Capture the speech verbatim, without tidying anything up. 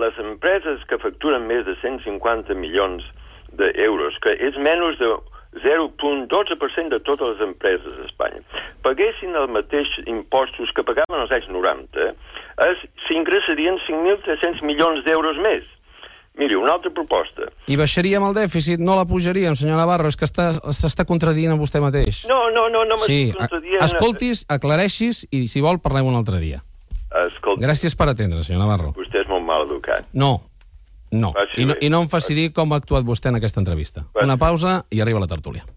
les empreses que facturen més de cent cinquanta milions d'euros, que és menys de zero coma dotze per cent de totes les empreses d'Espanya, paguessin els mateixos impostos que pagaven als anys noranta, s'ingressarien cinc mil tres-cents milions d'euros més. Miri, una altra proposta. I baixaríem el dèficit, no la pujaríem, senyor Navarro, és que s'està contradient a vostè mateix. No, no, no, no sí, m'estic contradient. Escoltis, aclareixis i, si vol, parlem un altre dia. Escolti. Gràcies per atendre, senyor Navarro. Vostè és molt mal educat. No, no. I no, i no em faci dir com ha actuat vostè en aquesta entrevista. Una pausa i arriba la tertúlia.